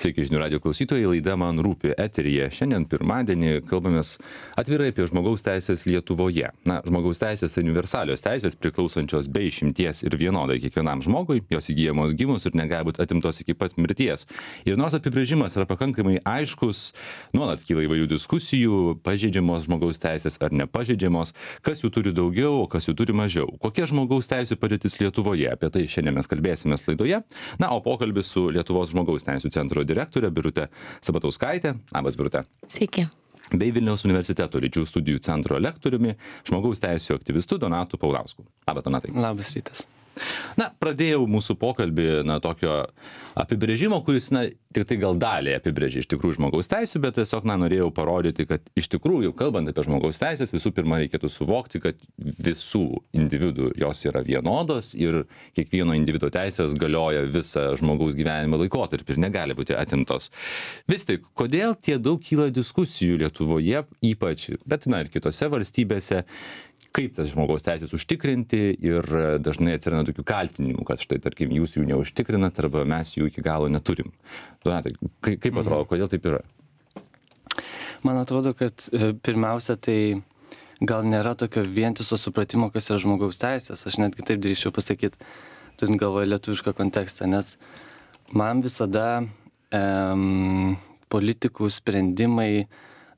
Sveiki, žinių radio klausytojai, laida Man rūpi eteryje. Šiandien pirmadienį kalbamės atvirai apie žmogaus teisės Lietuvoje. Žmogaus teisės universalios teisės priklausančios be išimties ir vienodai kiekvienam žmogui, jos įgyjamos gimus ir negali būti atimtos iki pat mirties. Ir nors apibrėžimas yra pakankamai aiškus, nuolat kyla įvairių diskusijų, pažeidžiamos žmogaus teisės ar nepažeidžiamos, kas jų turi daugiau, o kas jų turi mažiau. Kokia žmogaus teisų padėtis Lietuvoje? Apie tai šiandien mes kalbėsime laidoje. O pokalbis su Lietuvos žmogaus teisų centro direktorė Birutė Sabatauskaitė. Labas, Birutė. Sveiki. Bei Vilniaus universiteto lyčių studijų centro lektoriumi, žmogaus teisų aktyvistu Donatu Paulausku. Labas, Donatai. Labas rytas. Pradėjau mūsų pokalbį tokio apibrėžimo, kuris tik tai gal dalį apibrėžia iš tikrųjų žmogaus teisų, bet tiesiog norėjau parodyti, kad iš tikrųjų, kalbant apie žmogaus teisės, visų pirma reikėtų suvokti, kad visų individų jos yra vienodos ir kiekvieno individo teisės galioja visą žmogaus gyvenimo laikotarpį ir negali būti atimtos. Vis tik, kodėl tie daug kyla diskusijų Lietuvoje ypač, bet ir kitose valstybėse, kaip tas žmogaus teisės užtikrinti ir dažnai atsiranda tokių kaltinimų, kad štai, tarkim, jūs jų neužtikrinat arba mes jų iki galo neturim. Donatai, kaip atrodo, kodėl taip yra? Man atrodo, kad pirmiausia, tai gal nėra tokio vientiso supratimo, kas yra žmogaus teisės. Aš netgi taip drįsčiau pasakyti, turint galvoje lietuvišką kontekstą, nes man visada politikų sprendimai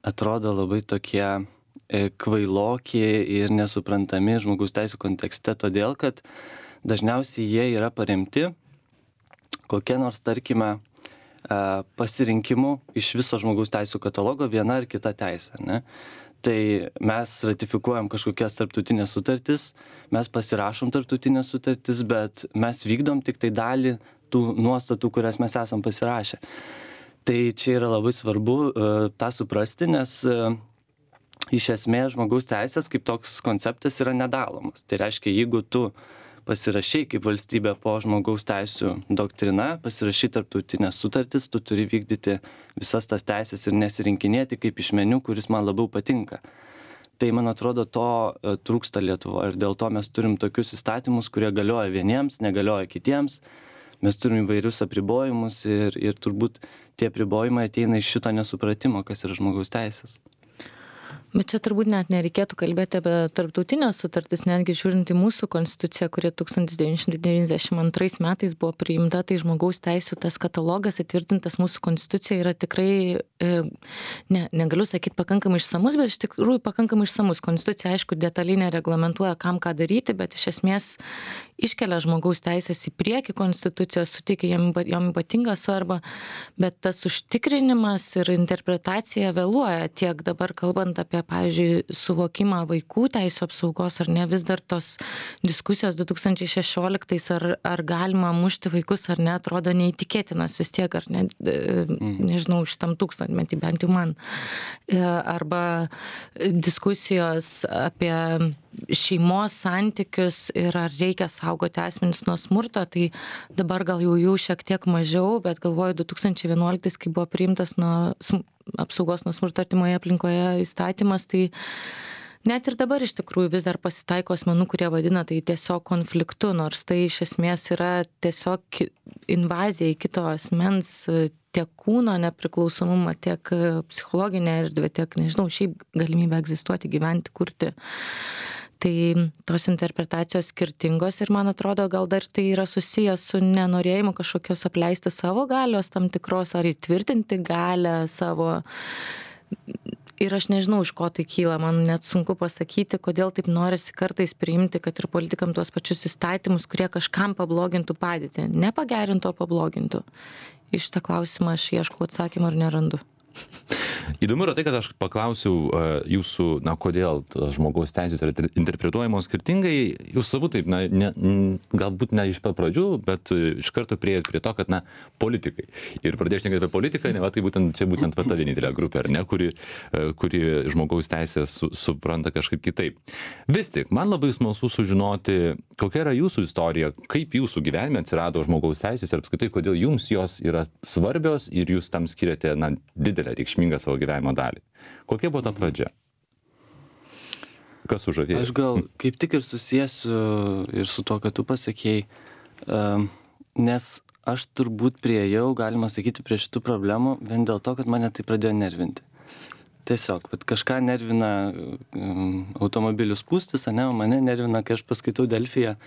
atrodo labai tokie kvailoki ir nesuprantami žmogaus teisų kontekste, todėl kad dažniausiai jie yra paremti kokia nors, tarkime, pasirinkimu iš viso žmogaus teisų katalogo viena ar kita teisė, ne? Tai mes ratifikuojam kažkokias tarptautinės sutartis, mes pasirašom tarptautinės sutartis, bet mes vykdom tik tai dalį tų nuostatų, kurias mes esam pasirašę. Tai čia yra labai svarbu tą suprasti, nes iš esmės žmogaus teisės kaip toks konceptas yra nedalomas. Tai reiškia, jeigu tu pasirašai kaip valstybė po žmogaus teisų doktrina, pasirašai tarptautinės sutartis, tu turi vykdyti visas tas teisės ir nesirinkinėti kaip iš meniu, kuris man labiau patinka. Tai, man atrodo, to trūksta Lietuvoje ir dėl to mes turim tokius įstatymus, kurie galioja vieniems, negalioja kitiems. Mes turim įvairius apribojimus ir turbūt tie apribojimai ateina iš šito nesupratimo, kas yra žmogaus teisės. Bet čia turbūt net nereikėtų kalbėti apie tarptautinės sutartis, netgi žiūrint į mūsų konstituciją, kuri 1992 metais buvo priimta, tai žmogaus teisų tas katalogas įtvirtintas mūsų konstitucijoje yra tikrai, negaliu sakyti pakankamai išsamus, bet iš tikrųjų pakankamai išsamus. Konstitucija, aišku, detaliai nereglamentuoja, kam ką daryti, bet iš esmės iškelia žmogaus teisės į priekį konstitucijos, suteikia jam ypatingą svarbą, bet tas užtikrinimas ir interpretacija vėluoja tiek dabar kalbant apie, pavyzdžiui, suvokimą vaikų teisų apsaugos, ar ne, vis dar tos diskusijos 2016 ar galima mušti vaikus ar ne, atrodo neįtikėtinas vis tiek, ar ne, nežinau, šitam tūkstantmetį, bent jau man. Arba diskusijos apie šeimos santykius ir ar reikia saugoti asmenis nuo smurto, tai dabar gal jau šiek tiek mažiau, bet galvoju 2011, kai buvo priimtas apsaugos nuo smurto artimoje aplinkoje įstatymas, tai net ir dabar iš tikrųjų vis dar pasitaiko asmenų, kurie vadina tai tiesiog konfliktu, nors tai iš esmės yra tiesiog invazija į kito asmens tiek kūno nepriklausomumą, tiek psichologinę erdvę, tiek, nežinau, šiaip galimybę egzistuoti, gyventi, kurti. Tai tos interpretacijos skirtingos ir man atrodo, gal dar tai yra susijęs su nenorėjimu kažkokios apleisti savo galios tam tikros ar įtvirtinti galę savo. Ir aš nežinau, iš ko tai kyla, man net sunku pasakyti, kodėl taip norisi kartais priimti, kad ir politikam tuos pačius įstatymus, kurie kažkam pablogintų padėtį. Nepagerintų, o pablogintų. Iš šitą klausimą aš ieškau atsakymą ir nerandu. Įdomu yra tai, kad aš paklausiau jūsų, kodėl žmogaus teisės yra interpretuojamos skirtingai. Jūs savų taip, galbūt ne iš pat pradžių, bet iš karto priėjot prie to, kad, politikai. Ir pradėjau šnekėti apie politiką, tai būtent ta vienintelė grupė, ar ne, kuri žmogaus teisės supranta kažkaip kitaip. Vis tik, man labai smalsu sužinoti, kokia yra jūsų istorija, kaip jūsų gyvenime atsirado žmogaus teisės ir apskritai, kodėl jums jos yra svarbios ir jūs tam skiriate, didelę reikšmingą savo gyvenimo dalį. Kokia buvo ta pradžia? Kas sužavėjo? Aš gal kaip tik ir susiesiu ir su to, kad tu pasakėjai, nes aš turbūt priėjau, galima sakyti, prie šitų problemų vien dėl to, kad mane tai pradėjo nervinti. Tiesiog, vat kažką nervina automobilių spūstis, ane, o mane nervina, kai aš paskaitau Delfyje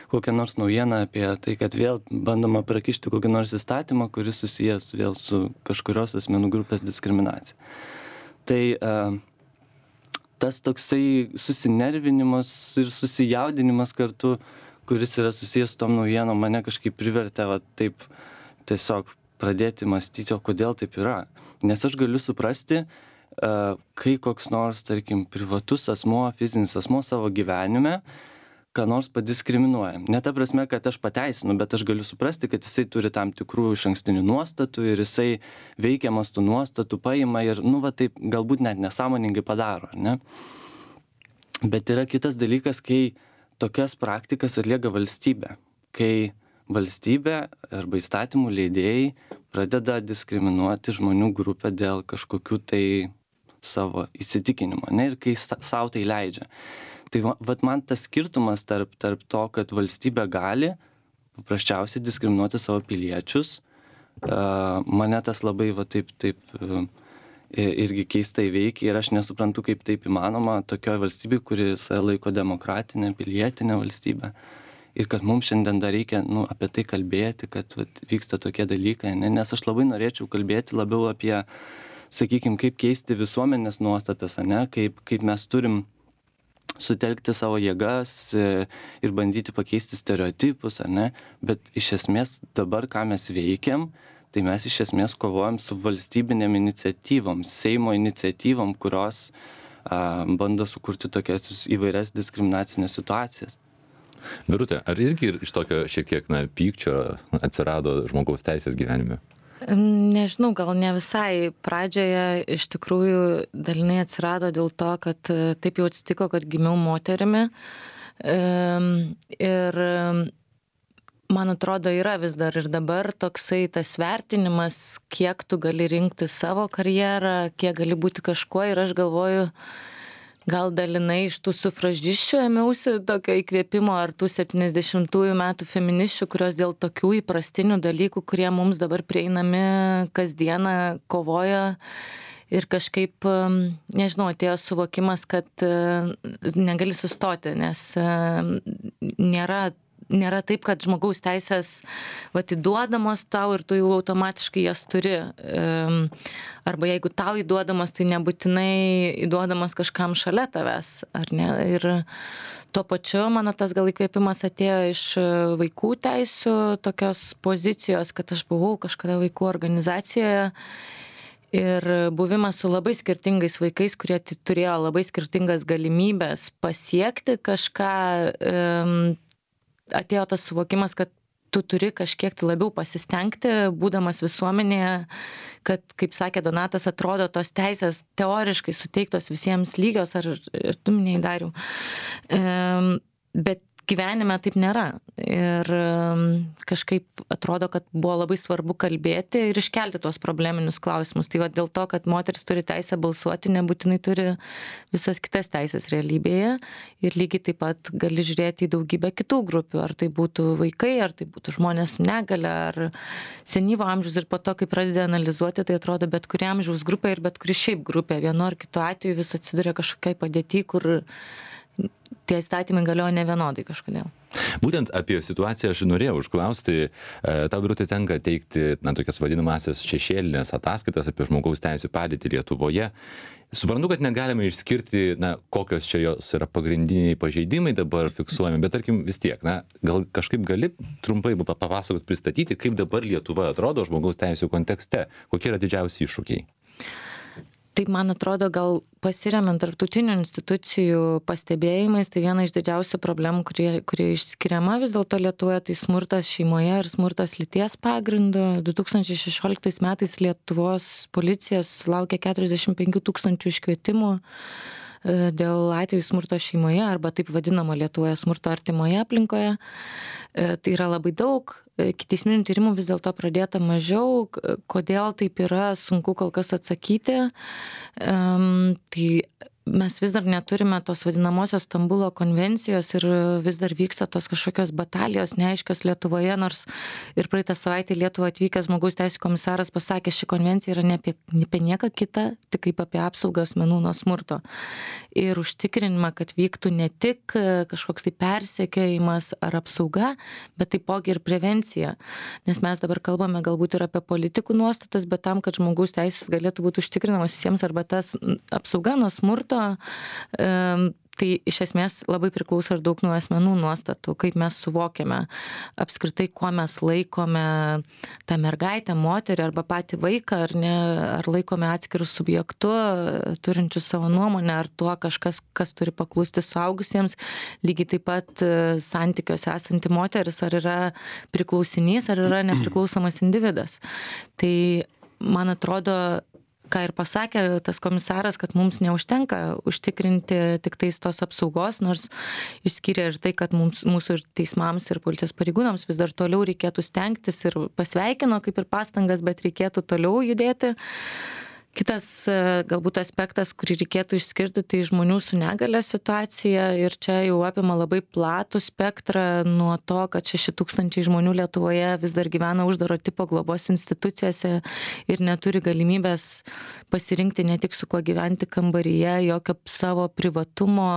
kokią nors naujieną apie tai, kad vėl bandoma prakišti kokį nors įstatymą, kuris susijęs vėl su kažkurios asmenų grupės diskriminacija. Tai tas toksai susinervinimas ir susijaudinimas kartu, kuris yra susijęs su tom naujienom, mane kažkaip privertė va, taip tiesiog pradėti mąstyti, o kodėl taip yra. Nes aš galiu suprasti, kai koks nors, tarkim, privatus asmuo, fizinis asmuo savo gyvenime, ką nors padiskriminuoja. Ne ta prasme, kad aš pateisinu, bet aš galiu suprasti, kad jisai turi tam tikrų išankstinių nuostatų ir jisai veikiamas tų nuostatų paima ir, va taip, galbūt net nesąmoningai padaro, ne? Bet yra kitas dalykas, kai tokias praktikas atlieka valstybė. Kai valstybė arba įstatymų leidėjai pradeda diskriminuoti žmonių grupę dėl kažkokių tai savo įsitikinimo, ne, ir kai savo tai leidžia. Tai vat man tas skirtumas tarp to, kad valstybė gali paprasčiausiai diskriminuoti savo piliečius, mane tas labai va taip irgi keistai veikia ir aš nesuprantu, kaip taip įmanoma tokioje valstybėje, kuri save laiko demokratinė, pilietinė valstybė. Ir kad mums šiandien dar reikia apie tai kalbėti, kad vyksta tokie dalykai, ne? Nes aš labai norėčiau kalbėti labiau apie, sakykime, kaip keisti visuomenės nuostatas, ne? Kaip mes turim sutelkti savo jėgas ir bandyti pakeisti stereotipus, ne? Bet iš esmės dabar, ką mes veikiam, tai mes iš esmės kovojam su valstybinėm iniciatyvom, Seimo iniciatyvom, kurios bando sukurti tokias įvairias diskriminacinės situacijas. Birutė, ar irgi iš tokio šiek tiek pykčio atsirado žmogaus teisės gyvenime? Nežinau, gal ne visai. Pradžioje iš tikrųjų dalinai atsirado dėl to, kad taip jau atsitiko, kad gimiau moterimi. Ir man atrodo, yra vis dar ir dabar toksai tas vertinimas, kiek tu gali rinkti savo karjerą, kiek gali būti kažkuo. Ir aš galvoju, gal dalinai iš tų sufražiščių ėmiausi tokio įkvėpimo ar tų 70-ųjų metų feminisčių, kurios dėl tokių įprastinių dalykų, kurie mums dabar prieinami kasdieną, kovoja ir kažkaip, nežinau, atėjo suvokimas, kad negali sustoti, nes nėra taip, kad žmogaus teisės įduodamos tau ir tu jau automatiškai jas turi. Arba jeigu tau įduodamos, tai nebūtinai įduodamos kažkam šalia tavęs, ar ne? Ir tuo pačiu, mano tas gal įkvėpimas atėjo iš vaikų teisių tokios pozicijos, kad aš buvau kažkada vaikų organizacijoje ir buvimas su labai skirtingais vaikais, kurie turėjo labai skirtingas galimybės pasiekti kažką, atėjo tas suvokimas, kad tu turi kažkiek tai labiau pasistengti, būdamas visuomenėje, kad, kaip sakė Donatas, atrodo tos teisės teoriškai suteiktos visiems lygios, ar tu minėjai, Dariau. Bet gyvenime taip nėra. Ir kažkaip atrodo, kad buvo labai svarbu kalbėti ir iškelti tuos probleminius klausimus. Tai dėl to, kad moteris turi teisę balsuoti, nebūtinai turi visas kitas teisės realybėje. Ir lygiai taip pat gali žiūrėti į daugybę kitų grupių. Ar tai būtų vaikai, ar tai būtų žmonės su negale, ar senyvo amžiaus. Ir po to, kai pradedi analizuoti, tai atrodo bet kuri amžiaus grupė ir bet kuri šiaip grupė. Vienu ar kitu atveju vis atsiduria kažkokiai padėti, kur tie įstatymai galioja nevienodai kažkodėl. Būtent apie situaciją aš norėjau užklausti. Tau, Birutė, tenka teikti tokias vadinamasias šešėlinės ataskaitas apie žmogaus teisių padėtį Lietuvoje. Suprantu, kad negalime išskirti, kokios čia jos yra pagrindiniai pažeidimai dabar fiksuojami, bet tarkim vis tiek, gal kažkaip gali trumpai papasakoti, pristatyti, kaip dabar Lietuva atrodo žmogaus teisių kontekste, kokie yra didžiausi iššūkiai? Taip, man atrodo, gal pasiremiant tarptautinių institucijų pastebėjimais, tai viena iš didžiausių problemų, kuri išskiriama vis dėlto Lietuvoje, tai smurtas šeimoje ir smurtas lyties pagrindu. 2016 metais Lietuvos policija sulaukė 45 000 iškvietimų dėl atvejų smurto šeimoje arba taip vadinamo Lietuvoje smurto artimoje aplinkoje. Tai yra labai daug. Ikiteisminių tyrimų vis dėlto pradėta mažiau. Kodėl taip yra, sunku kol kas atsakyti. Tai mes vis dar neturime tos vadinamosios Stambulo konvencijos ir vis dar vyksta tos kažkokios batalijos neaiškios Lietuvoje, nors ir praeitą savaitę į Lietuvą atvykęs žmogaus teisų komisaras pasakė, ši konvencija yra ne apie nieką kitą, tik kaip apie apsaugą asmenų nuo smurto. Ir užtikrinimą, kad vyktų ne tik kažkoks tai persekiojimas ar apsauga, bet taipogi ir prevencija. Nes mes dabar kalbame galbūt ir apie politikų nuostatas, bet tam, kad žmogaus teisės galėtų būti užtikrinamos visiems arba tas apsauga nuo smurto, tai iš esmės labai priklauso ir daug nuo asmenų nuostatų, kaip mes suvokiame apskritai, kuo mes laikome tą mergaitę, moterį arba patį vaiką, ar laikome atskirus subjektu, turinčių savo nuomonę, ar tuo kažkas, kas turi paklusti suaugusiems, lygiai taip pat santykiuose esanti moteris, ar yra priklausinys, ar yra nepriklausomas individas. Tai man atrodo, ką ir pasakė tas komisaras, kad mums neužtenka užtikrinti tik tais tos apsaugos, nors išskyrė ir tai, kad mūsų ir teismams ir policijos pareigūnams vis dar toliau reikėtų stengtis ir pasveikino kaip ir pastangas, bet reikėtų toliau judėti. Kitas galbūt aspektas, kurį reikėtų išskirti, tai žmonių su negale situacija ir čia jau apima labai platų spektrą nuo to, kad 6,000 žmonių Lietuvoje vis dar gyvena uždaro tipo globos institucijose ir neturi galimybės pasirinkti ne tik su kuo gyventi kambaryje, jokio savo privatumo,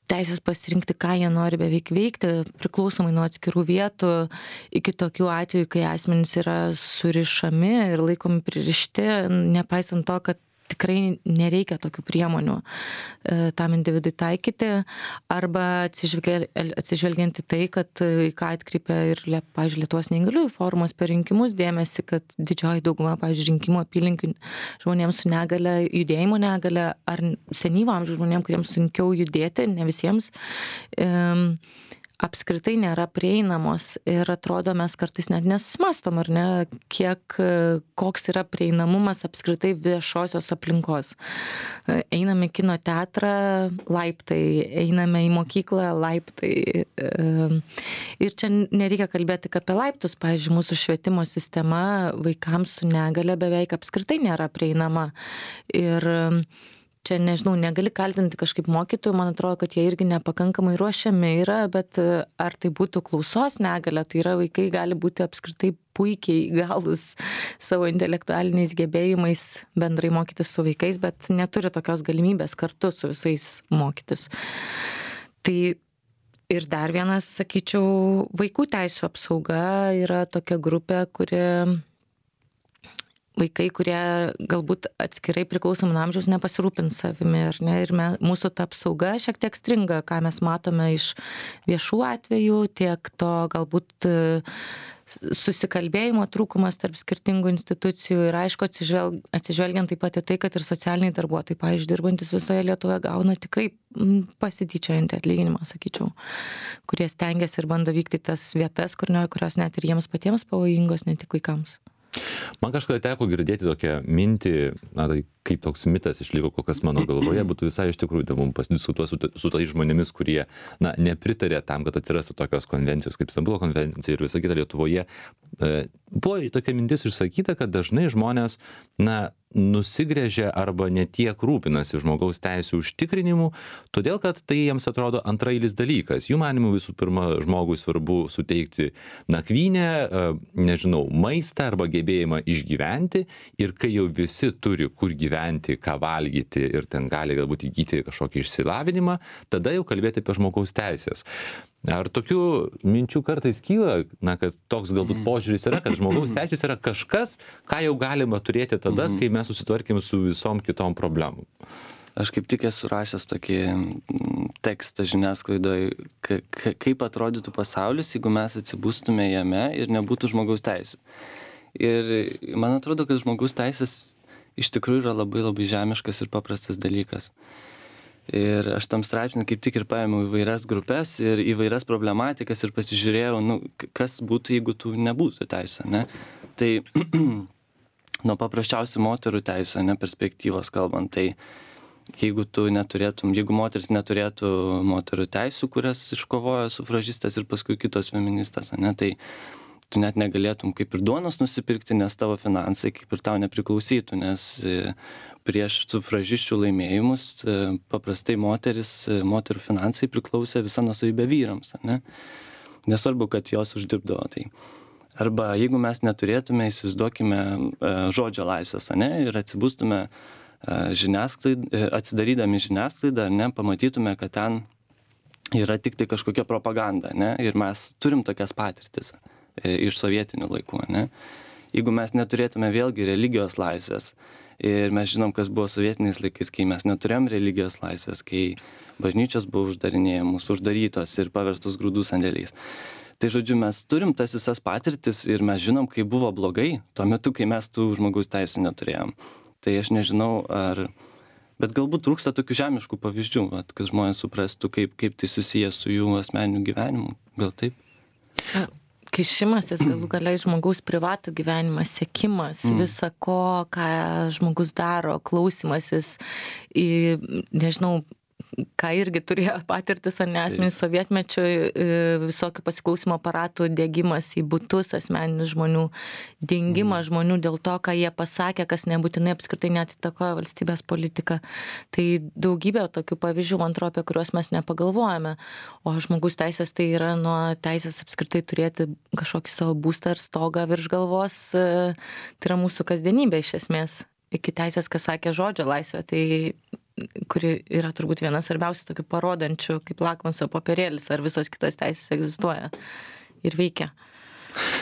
teisės pasirinkti, ką jie nori beveik veikti, priklausomai nuo atskirų vietų, iki tokių atvejų, kai asmenys yra surišami ir laikomi pririšti, nepaisant to, kad tikrai nereikia tokių priemonių tam individui taikyti, arba atsižvelgiant į tai, kad į ką atkreipia ir, pavyzdžiui, Lietuvos neįgaliųjų forumas per rinkimus dėmesį, kad didžioji dauguma, pavyzdžiui, rinkimų apylinkių žmonėms su negale, judėjimo negale ar senyvo amžiaus žmonėms, kuriems sunkiau judėti, ne visiems, apskritai nėra prieinamos ir atrodo mes kartais net nesusimastom, ar ne, koks yra prieinamumas apskritai viešosios aplinkos. Einame į kino teatrą, laiptai, einame į mokyklą, laiptai. Ir čia nereikia kalbėti tik apie laiptus, pavyzdžiui, mūsų švietimo sistema vaikams su negale beveik apskritai nėra prieinama. Ir čia, nežinau, negali kaltinti kažkaip mokytojų, man atrodo, kad jie irgi nepakankamai ruošiami yra, bet ar tai būtų klausos negalia, tai yra vaikai gali būti apskritai puikiai įgalūs savo intelektualiniais gebėjimais bendrai mokytis su vaikais, bet neturi tokios galimybės kartu su visais mokytis. Tai ir dar vienas, sakyčiau, vaikų teisų apsauga yra tokia grupė, vaikai, kurie galbūt atskirai priklausomai nuo amžiaus nepasirūpins savimi, ar ne? Ir mūsų ta apsauga šiek tiek stringa, ką mes matome iš viešų atvejų, tiek to galbūt susikalbėjimo trūkumas tarp skirtingų institucijų ir aišku atsižvelgiant taip pat į tai, kad ir socialiniai darbuotojai, pavyzdžiui, dirbantis visoje Lietuvoje gauna tikrai pasityčiojantį atlyginimą, sakyčiau, kurie stengiasi ir bando vykti tas vietas, kurios net ir jiems patiems pavojingos, ne tik vaikams. Man kažkada teko girdėti tokią mintį, tai kaip toks mitas išliko kol kas mano galvoje, būtų visai iš tikrųjų įdomu pasidiskutuoti su tais žmonėmis, kurie nepritarė tam, kad atsirastų tokios konvencijos kaip Stambulo konvencija ir visa kita Lietuvoje. Buvo tokia mintis išsakyta, kad dažnai žmonės nusigręžia arba netiek rūpinasi žmogaus teisų užtikrinimu, todėl kad tai jiems atrodo antrailis dalykas. Jų manymu visų pirma žmogui svarbu suteikti nakvynę, maistą arba gebėjimą išgyventi ir kai jau visi turi kur gyventi, ką valgyti ir ten gali galbūt įgyti kažkokį išsilavinimą, tada jau kalbėti apie žmogaus teisės. Ar tokių minčių kartais kyla, kad toks galbūt požiūris yra, kad žmogaus teisės yra kažkas, ką jau galima turėti tada, kai mes susitvarkėm su visom kitom problemom? Aš kaip tik esu rašęs tokį tekstą žiniasklaidoje, kaip atrodytų pasaulis, jeigu mes atsibustume jame ir nebūtų žmogaus teisės. Ir man atrodo, kad žmogaus teisės iš tikrųjų yra labai labai žemiškas ir paprastas dalykas. Ir aš tam straipsnį kaip tik ir paėmiau įvairias grupės ir įvairias problematikas ir pasižiūrėjau, kas būtų, jeigu tų nebūtų teisų, ne? Tai nuo paprasčiausių moterų teisų, perspektyvos kalbant, tai jeigu moteris neturėtų moterų teisų, kurias iškovojo sufražistas ir paskui kitos feministas, tai tu net negalėtum kaip ir duonos nusipirkti, nes tavo finansai kaip ir tau nepriklausytų, nes prieš sufražisčių laimėjimus paprastai moterų finansai priklausė visa nuosavybė vyrams, ne? Nesvarbu, kad jos uždirbdavo tai. Arba jeigu mes neturėtume, įsivaizduokime, žodžio laisvės, ne? Ir atsibustume atsidarydami žiniasklaidą, ne? Pamatytume, kad ten yra tik tai kažkokia propaganda, ne? Ir mes turim tokias patirtis iš sovietinių laikų, ne? Jeigu mes neturėtume vėlgi religijos laisvės, ir mes žinom, kas buvo sovietiniais laikais, kai mes neturėjom religijos laisvės, kai bažnyčios buvo uždarytos ir paverstos grūdų sandėliais. Tai žodžiu, mes turim tas visas patirtis ir mes žinom, kaip buvo blogai tuo metu, kai mes tų žmogaus teisų neturėjom. Tai aš nežinau, bet galbūt trūksta tokių žemiškų pavyzdžių, kad žmonės suprastų, kaip tai susiję su jų asmeniniu gyvenimu. Gal taip? Kišimasis galų gale į žmogaus privatų gyvenimą, sekimas, visa ko, ką žmogus daro, klausimasis į, nežinau, ką irgi turėjo patirtis, ar ne, asmenys sovietmečių, visokių pasiklausimo aparatų diegimas į butus asmeninių žmonių, dingimas žmonių dėl to, ką jie pasakė, kas nebūtinai apskritai net įtakoja valstybės politiką. Tai daugybė tokių pavyzdžių, man atrodo, apie kuriuos mes nepagalvojame. O žmogaus teisės tai yra nuo teisės apskritai turėti kažkokį savo būstą ir stogą virš galvos. Tai yra mūsų kasdienybė iš esmės. Iki teisės, kas sakė, žodžio laisvė, tai kuri yra turbūt vienas svarbiausių tokių parodančių, kaip lakmuso popierėlis, ar visos kitos teisės egzistuoja ir veikia.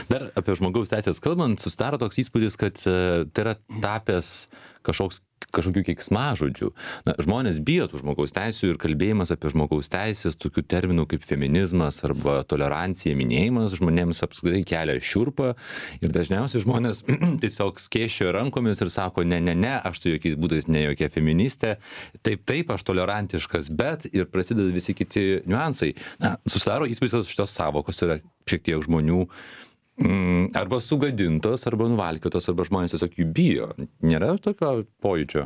Dar apie žmogaus teisės kalbant, susidaro toks įspūdis, kad tai yra tapęs kažkokių keiksmažodžių. Na, žmonės bijo tų žmogaus teisių ir kalbėjimas apie žmogaus teisės, tokių terminų kaip feminizmas arba tolerancija, minėjimas žmonėms apskritai kelia šiurpą ir dažniausiai žmonės tiesiog skėsčioja rankomis ir sako, ne, aš tai jokiais būdais ne jokia feministė, taip, aš tolerantiškas, bet ir prasideda visi kiti niuansai. Na, susidaro įspūdis, kad šitos savokos yra šiek tiek žmonių arba sugadintos, arba nuvalkiotos, arba žmonės tiesiog jų bijo. Nėra tokio pojūčio?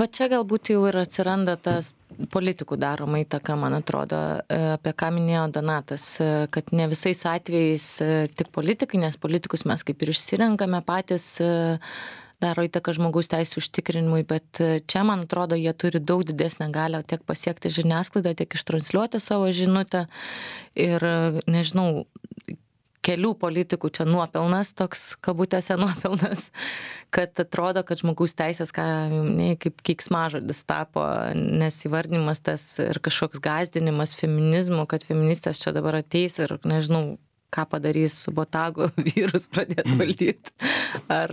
Va čia galbūt jau ir atsiranda tas politikų daroma įtaka, man atrodo, apie ką minėjo Donatas, kad ne visais atvejais tik politikai, nes politikus mes kaip ir išsirenkame patys, daro įtaką žmogaus teisų užtikrinimui, bet čia, man atrodo, jie turi daug didesnę galią tiek pasiekti žiniasklaidą, tiek ištransliuoti savo žinutę ir, nežinau, kelių politikų čia nuopelnas, toks kabutėse nuopelnas, kad atrodo, kad žmogaus teisės, kaip keiksmažodis tapo, nes įvardinimas tas ir kažkoks gąsdinimas feminizmu, kad feministės čia dabar ateis ir, nežinau, ką padarys su botagu, vyrus pradės valdyti. Ar,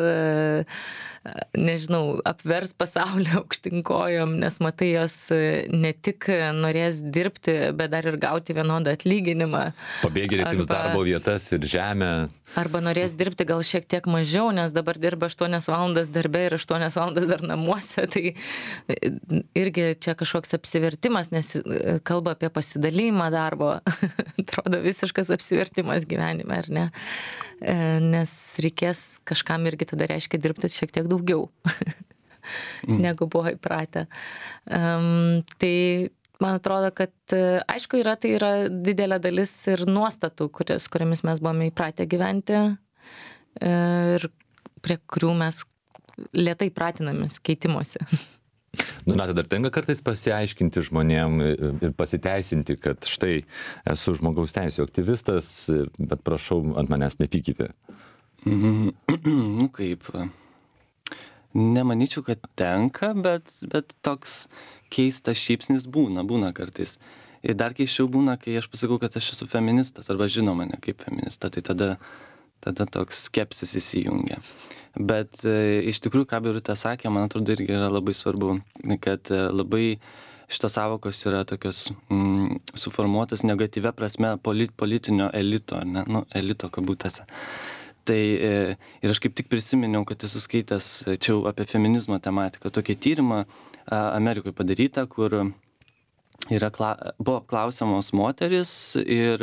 nežinau, apvers pasaulį aukštinkojom, nes matai, jos ne tik norės dirbti, bet dar ir gauti vienodą atlyginimą. Pabėgėliai atims darbo vietas ir žemę. Arba norės dirbti gal šiek tiek mažiau, nes dabar dirba 8 valandas darbe ir 8 valandas dar namuose. Tai irgi čia kažkoks apsivertimas, nes kalba apie pasidalymą darbo. Atrodo visiškas apsivertimas gyvenime, ar ne? Nes reikės kažkam irgi tada reiškia dirbti šiek tiek daugiau, negu buvo įpratę. Tai man atrodo, kad aišku tai yra didelė dalis ir nuostatų, kuriamis mes buvome įpratę gyventi ir prie kurių mes lėtai pratinamės keitimuose. Na, tai dar tenka kartais pasiaiškinti žmonėm ir pasiteisinti, kad štai esu žmogaus teisų aktyvistas, bet prašau, ant manęs nepykite. Nu kaip, nemanyčiau, kad tenka, bet toks keistas šypsnis būna kartais. Ir dar keisčiau būna, kai aš pasakau, kad aš esu feministas, arba žino mane kaip feministą, tai tada toks skepsis įsijungia. Bet iš tikrųjų, ką Birutė sakė, man atrodo, irgi yra labai svarbu, kad labai šitos savokos yra tokios suformuotos negatyvia prasme politinio elito, ne? Nu, elito kabutėse. Tai ir aš kaip tik prisiminiau, kad esu skaitęs čia apie feminizmo tematiką, tokį tyrimą Amerikoje padarytą, kur buvo apklausiamos moteris ir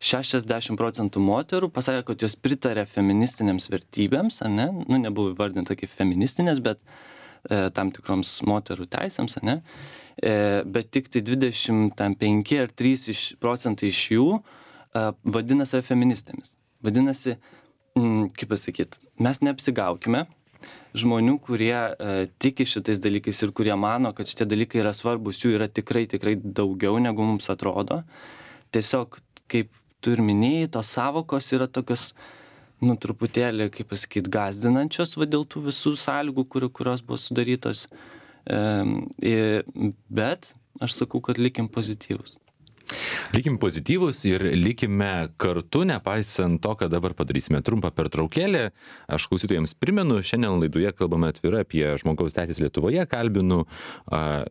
60% moterų pasakė, kad jos pritarė feministinėms vertybėms, ne? Nu, nebuvo įvardinta kaip feministinės, bet tam tikroms moterų teisėms, ne? Bet tik tai 25 ar 3% iš jų vadina save feministėmis. Vadinasi, kaip pasakyti, mes neapsigaukime, žmonių, kurie tiki šitais dalykais ir kurie mano, kad šitie dalykai yra svarbus, jų yra tikrai daugiau, negu mums atrodo. Tiesiog, kaip tu ir minėjai, tos savokos yra tokios, truputėlį, kaip pasakyti, gąsdinančios dėl tų visų sąlygų, kurios buvo sudarytos. Bet aš sakau, kad likim pozityvus. Likim pozityvus ir likime kartu, nepaisant to, kad dabar padarysime trumpą pertraukėlę. Aš klausytojams primenu, šiandien laidoje kalbame atvirai apie žmogaus teisės Lietuvoje. Kalbinu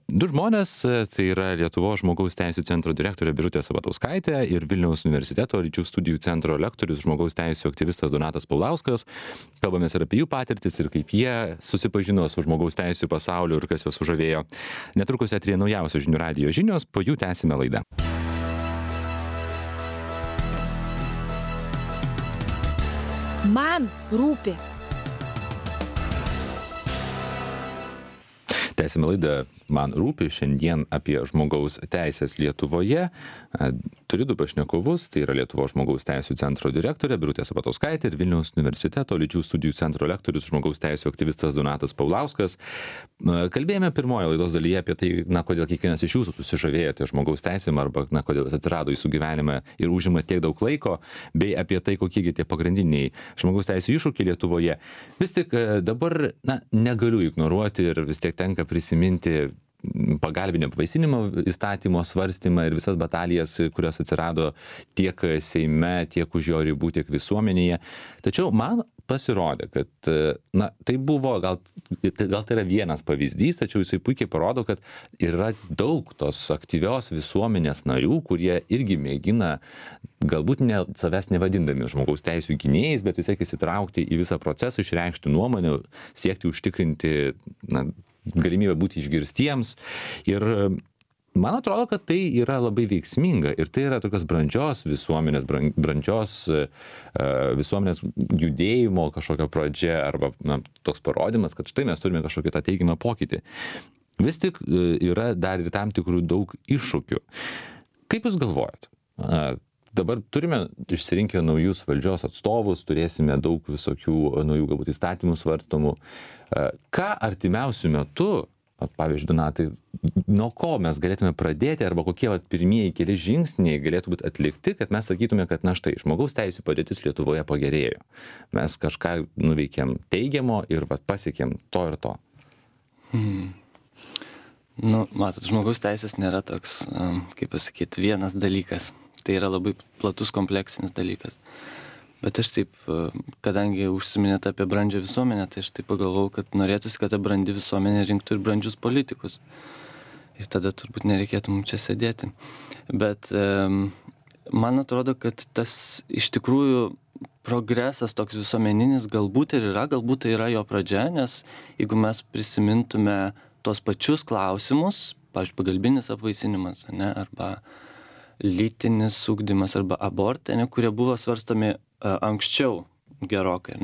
du žmonės, tai yra Lietuvos žmogaus teisų centro direktorė Birutė Sabatauskaitė ir Vilniaus universiteto lyčių studijų centro lektorius žmogaus teisų aktyvistas Donatas Paulauskas. Kalbamės ir apie jų patirtis ir kaip jie susipažino su žmogaus teisų pasauliu ir kas juos sužavėjo. Netrukus eteryje naujausios Žinių radijo žinios, po jų tęsime laidą. Man rūpi. Tęsime laidą Man rūpi, šiandien apie žmogaus teisės Lietuvoje. Turiu du pašnekovus, tai yra Lietuvos žmogaus teisų centro direktorė Birutė Sabatauskaitė ir Vilniaus universiteto lyčių studijų centro lektorius žmogaus teisų aktyvistas Donatas Paulauskas. Kalbėjome pirmoje laidos dalyje apie tai, kodėl kiekvienas iš jūsų susižavėjote žmogaus teisėm arba kodėl jis atsirado jūsų gyvenime ir užima tiek daug laiko, bei apie tai, kokiegi tie pagrindiniai žmogaus teisų iššūkiai Lietuvoje. Vis tik dabar negaliu ignoruoti ir vis tiek tenka prisiminti pagalbinio apvaisinimo įstatymo svarstymą ir visas batalijas, kurios atsirado tiek Seime, tiek už jo ribų, tiek visuomenėje. Tačiau man pasirodė, kad tai buvo, gal tai yra vienas pavyzdys, tačiau jisai puikiai parodo, kad yra daug tos aktyvios visuomenės narių, kurie irgi mėgina, galbūt savęs nevadindami žmogaus teisų gynėjais, bet vis tiek įsitraukti į visą procesą, išreikšti nuomonę, siekti užtikrinti galimybę būti išgirstiems. Ir man atrodo, kad tai yra labai veiksminga ir tai yra tokios brandžios visuomenės, brandžios visuomenės judėjimo kažkokio pradžia arba toks parodymas, kad štai mes turime kažkokį tą teigiamą pokytį. Vis tik yra dar ir tam tikrų daug iššūkių. Kaip jūs galvojat? Dabar turime išsirinkę naujus valdžios atstovus, turėsime daug visokių naujų galbūt įstatymų svarstomų. Ką artimiausiu metu, pavyzdžiui, Donatai, nuo ko mes galėtume pradėti arba kokie pirmieji keli žingsniai galėtų būti atlikti, kad mes sakytume, kad štai, žmogaus teisų padėtis Lietuvoje pagerėjo. Mes kažką nuveikėm teigiamo ir pasiekėm to ir to. Matot, žmogaus teisės nėra toks, kaip pasakyti, vienas dalykas. Tai yra labai platus kompleksinis dalykas. Bet aš taip, kadangi užsiminėte apie brandžią visuomenę, tai aš taip pagalvojau, kad norėtųsi, kad ta brandi visuomenė rinktų ir brandžius politikus. Ir tada turbūt nereikėtų mums čia sėdėti. Bet man atrodo, kad tas iš tikrųjų progresas toks visuomeninis galbūt ir yra, galbūt tai yra jo pradžia, nes jeigu mes prisimintume tos pačius klausimus, pavyzdžiui, pagalbinis apvaisinimas, arba lytinis ugdymas arba abortai, kurie buvo svarstomi anksčiau gerokai,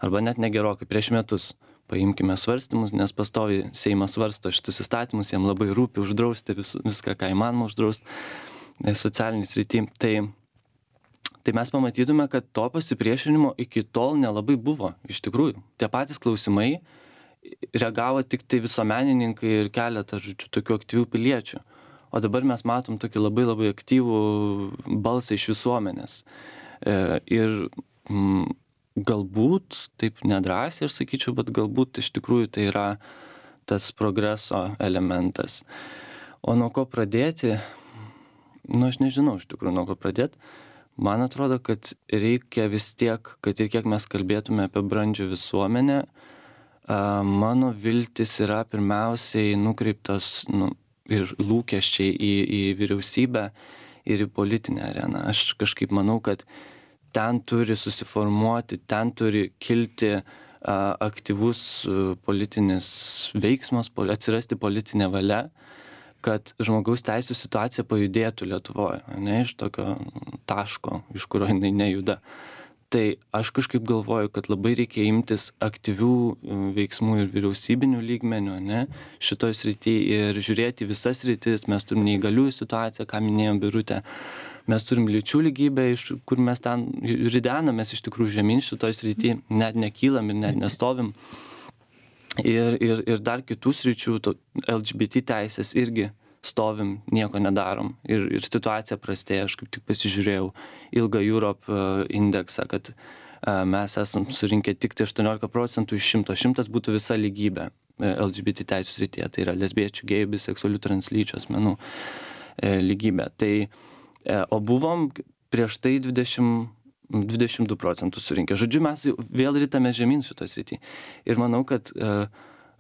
arba net negerokai, prieš metus. Paimkime svarstymus, nes pastoviai Seimas svarsto šitus įstatymus, jiem labai rūpi uždrausti viską, ką įmanoma uždrausti socialinį srity. Tai mes pamatytume, kad to pasipriešinimo iki tol nelabai buvo. Iš tikrųjų, tie patys klausimai reagavo tik tai visuomenininkai ir keletą, tokių aktyvių piliečių. O dabar mes matom tokį labai labai aktyvų balsą iš visuomenės. Ir galbūt, taip nedrąsiai aš sakyčiau, bet galbūt iš tikrųjų tai yra tas progreso elementas. O nuo ko pradėti? Aš nežinau iš tikrųjų nuo ko pradėti. Man atrodo, kad reikia vis tiek, kad ir kiek mes kalbėtume apie brandžią visuomenę, mano viltis yra pirmiausiai nukreiptos ir lūkesčiai į vyriausybę ir į politinę areną. Aš kažkaip manau, kad ten turi susiformuoti, ten turi kilti aktyvus politinis veiksmas, atsirasti politinė valia, kad žmogaus teisų situacija pajudėtų Lietuvoje, iš tokio taško, iš kurio jinai nejuda. Tai aš kažkaip galvoju, kad labai reikia imtis aktyvių veiksmų ir vyriausybinių lygmenių, šitoj srity ir žiūrėti visas sritis. Mes turime neįgaliųjų situaciją, ką minėjom Birutė, Mes turim lyčių lygybę, kur mes ten ridenamės iš tikrųjų žemyn šitoj srity, net nekylam ir net nestovim. Ir dar kitų sričių, LGBT teisės irgi stovim, nieko nedarom. Ir situacija prastėja, aš kaip tik pasižiūrėjau ilgą Europe indeksą, kad mes esam surinkę tik 18% iš 100. 100 būtų visa lygybė LGBT teisų srityje, tai yra lesbiečių, gėjų, biseksualių, translyčių asmenų lygybė. Tai, o buvom prieš tai 22% surinkę. Žodžiu, mes vėl rytame žemyn šitoj srity. Ir manau, kad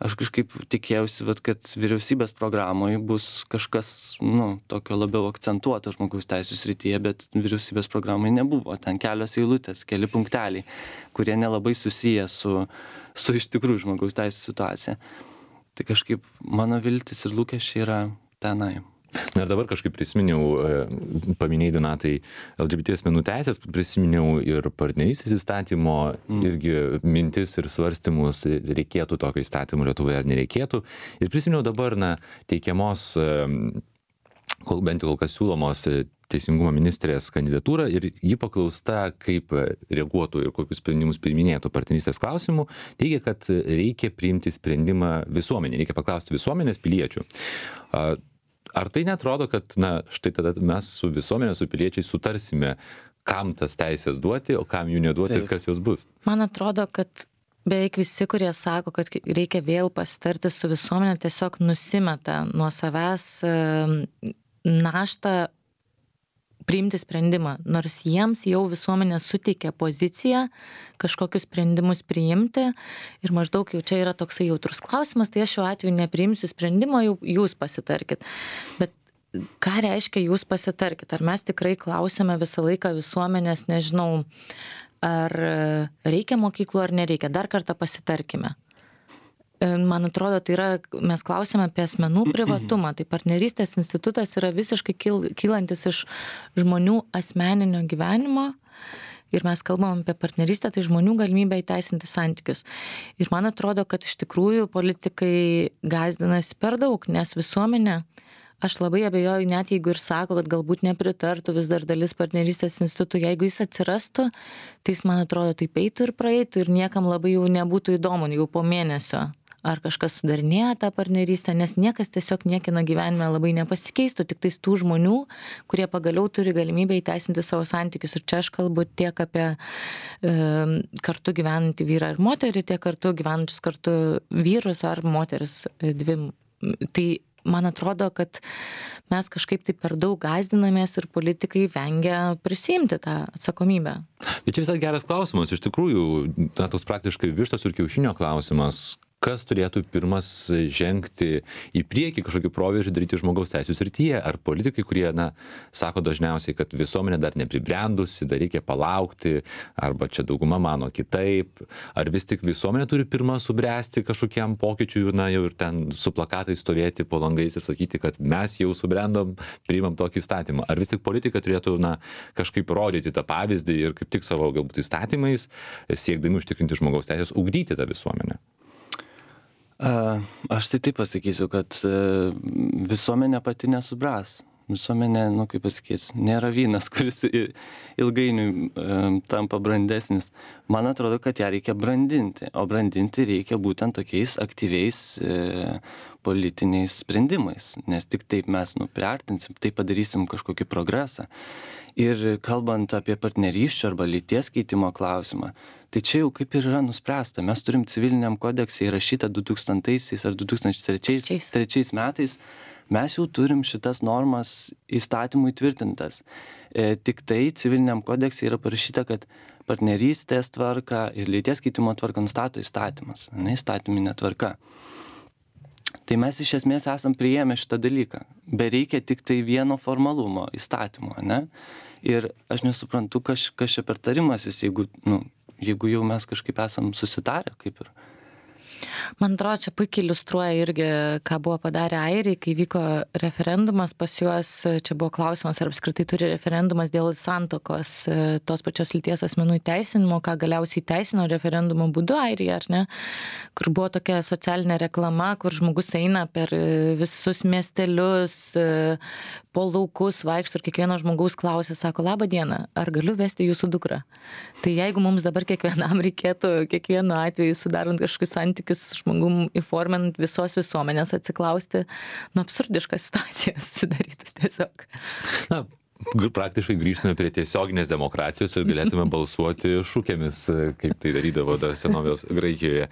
aš kažkaip tikėjausi, kad vyriausybės programoje bus kažkas, tokio labiau akcentuoto žmogaus teisų srityje, bet vyriausybės programoje nebuvo. Ten kelios eilutės, keli punkteliai, kurie nelabai susiję su iš tikrųjų žmogaus teisų situacija. Tai kažkaip mano viltis ir lūkesčiai yra tenai. Na ir dabar kažkaip prisiminiau, paminėjai Donatai LGBT asmenų teisės, prisiminiau ir partnerystės įstatymo, irgi mintis ir svarstymus, reikėtų tokio įstatymo Lietuvoje ar nereikėtų. Ir prisiminiau dabar, teikiamos, bent jau kol kas siūlomos Teisingumo ministrės kandidatūrą ir ji paklausta, kaip reaguotų ir kokius sprendimus priiminėtų partnerystės klausimų, teigia, kad reikia priimti sprendimą visuomenė, reikia paklausti visuomenės piliečių. Ar tai netrodo, kad, štai tada mes su visuomenė, su piliečiai sutarsime, kam tas teisės duoti, o kam jų neduoti ir kas jos bus? Man atrodo, kad beveik visi, kurie sako, kad reikia vėl pasitarti su visuomenė, tiesiog nusimeta nuo savęs naštą priimti sprendimą, nors jiems jau visuomenė suteikia poziciją kažkokius sprendimus priimti ir maždaug jau čia yra toksai jautrus klausimas, tai aš šiuo atveju nepriimsiu sprendimo, jau jūs pasitarkit. Bet ką reiškia jūs pasitarkit? Ar mes tikrai klausime visą laiką visuomenės, nežinau, ar reikia mokyklų ar nereikia? Dar kartą pasitarkime. Man atrodo, tai yra, mes klausime apie asmenų privatumą, tai partnerystės institutas yra visiškai kylantis iš žmonių asmeninio gyvenimo ir mes kalbam apie partnerystę, tai žmonių galimybę įteisinti santykius. Ir man atrodo, kad iš tikrųjų politikai gąsdinasi per daug, nes visuomenė, aš labai abejoju, net jeigu ir sako, kad galbūt nepritartų vis dar dalis partnerystės institutų, jeigu jis atsirastų, tai jis, man atrodo, taip eitų ir praeitų ir niekam labai jau nebūtų įdomu, jau po mėnesio. Ar kažkas sudarinėja tą partnerystę, nes niekas tiesiog niekino gyvenime labai nepasikeistų, tik tais tų žmonių, kurie pagaliau turi galimybę įteisinti savo santykius. Ir čia aš kalbu tiek apie kartu gyvenantį vyrą ir moterį, tiek kartu gyvenančius kartu vyrus ar moteris dvi. Tai man atrodo, kad mes kažkaip tai per daug gąsdinamės ir politikai vengia prisiimti tą atsakomybę. Bet čia visai geras klausimas. Iš tikrųjų, toks praktiškai vištos ir kiaušinio klausimas. Kas turėtų pirmas žengti į priekį kažkokį proveržį daryti žmogaus teisų srityje? Ar politikai, kurie, sako dažniausiai, kad visuomenė dar nepribrendusi, dar reikia palaukti, arba čia dauguma mano kitaip, ar vis tik visuomenė turi pirmą subręsti kažkokiam pokyčiui, jau ir ten su plakatais stovėti po langais ir sakyti, kad mes jau subrendom, priimam tokį įstatymą? Ar vis tik politikai turėtų, kažkaip rodyti tą pavyzdį ir kaip tik savo galbūt įstatymais, siekdami užtikrinti žmogaus teisės, ugdyti tą visuomenę? Aš tai taip pasakysiu, kad visuomenė pati nesubras. Visuomenė, kaip pasakyti, nėra vynas, kuris ilgainiui tampa brandesnis. Man atrodo, kad ją reikia brandinti, o brandinti reikia būtent tokiais aktyviais politiniais sprendimais, nes tik taip mes priartinsim, taip padarysim kažkokį progresą. Ir kalbant apie partnerysčių arba lyties keitimo klausimą, tai čia jau kaip ir yra nuspręsta. Mes turim civiliniam kodekse įrašytą 2000 ar 2003 metais, mes jau turim šitas normas įstatymų įtvirtintas. Tik tai civiliniam kodekse yra parašyta, kad partnerystės tvarka ir lyties keitimo tvarka nustato įstatymas, įstatyminė tvarka. Tai mes iš esmės esam priėmę šitą dalyką. Bereikia tik tai vieno formalumo įstatymo, Ir aš nesuprantu, kas čia per tarimasis, jeigu jau mes kažkaip esam susitarę, kaip ir. Man atrodo, čia puikiai iliustruoja irgi, ką buvo padarę airiai, kai vyko referendumas pas juos. Čia buvo klausimas, ar apskritai turi referendumas dėl santokos tos pačios lyties asmenų įteisinimo, ką galiausiai teisino referendumo būdu airija, ar ne? Kur buvo tokia socialinė reklama, kur žmogus eina per visus miestelius, po laukus vaikšto ir kiekvieno žmogaus klausia, sako, labą dieną, ar galiu vesti jūsų dukrą? Tai jeigu mums dabar kiekvienam reikėtų, kiekvienu atveju sudarant kažkokius santykius žmogum įforminant visos visuomenės atsiklausti, absurdiška situacija susidarytų tiesiog. Na, praktiškai grįžtume prie tiesioginės demokratijos ir galėtume balsuoti šūkėmis, kaip tai darydavo dar senovės Graikijoje.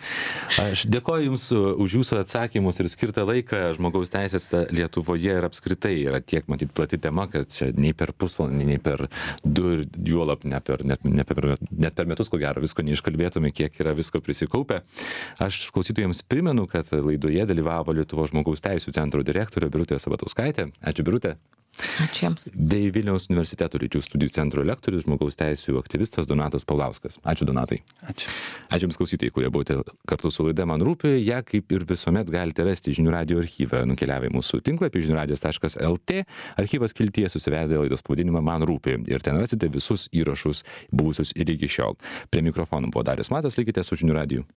Aš dėkoju Jums už Jūsų atsakymus ir skirtą laiką. Žmogaus teisės Lietuvoje ir apskritai yra tiek, matyt, plati tema, kad čia nei per pusvalandį, nei per du ir juolab net per metus, ko gero, visko neiškalbėtume, kiek yra visko prisikaupę. Aš klausytojams primenu, kad laidoje dalyvavo Lietuvos žmogaus teisų centro direktorė Birutė Sabatauskaitė. Ačiū, Birutė. Ačiū Jums. Bei Vilniaus universiteto lyčių studijų centro lektorius, žmogaus teisų aktyvistas Donatas Paulauskas. Ačiū, Donatai. Ačiū. Ačiū Jums klausytojai, kurie buvote kartu su laida Man rūpi. Ja, kaip ir visuomet, galite rasti žinių radijo archyvą. Nukeliavę į mūsų tinklapį žiniųradijas.lt. Archyvas skiltyje susivedė laidos pavadinimą Man rūpi. Ir ten rasite visus įrašus buvusius ir iki šiol. Prie mikrofonų buvo Darius Matas, likite su žinių radiju.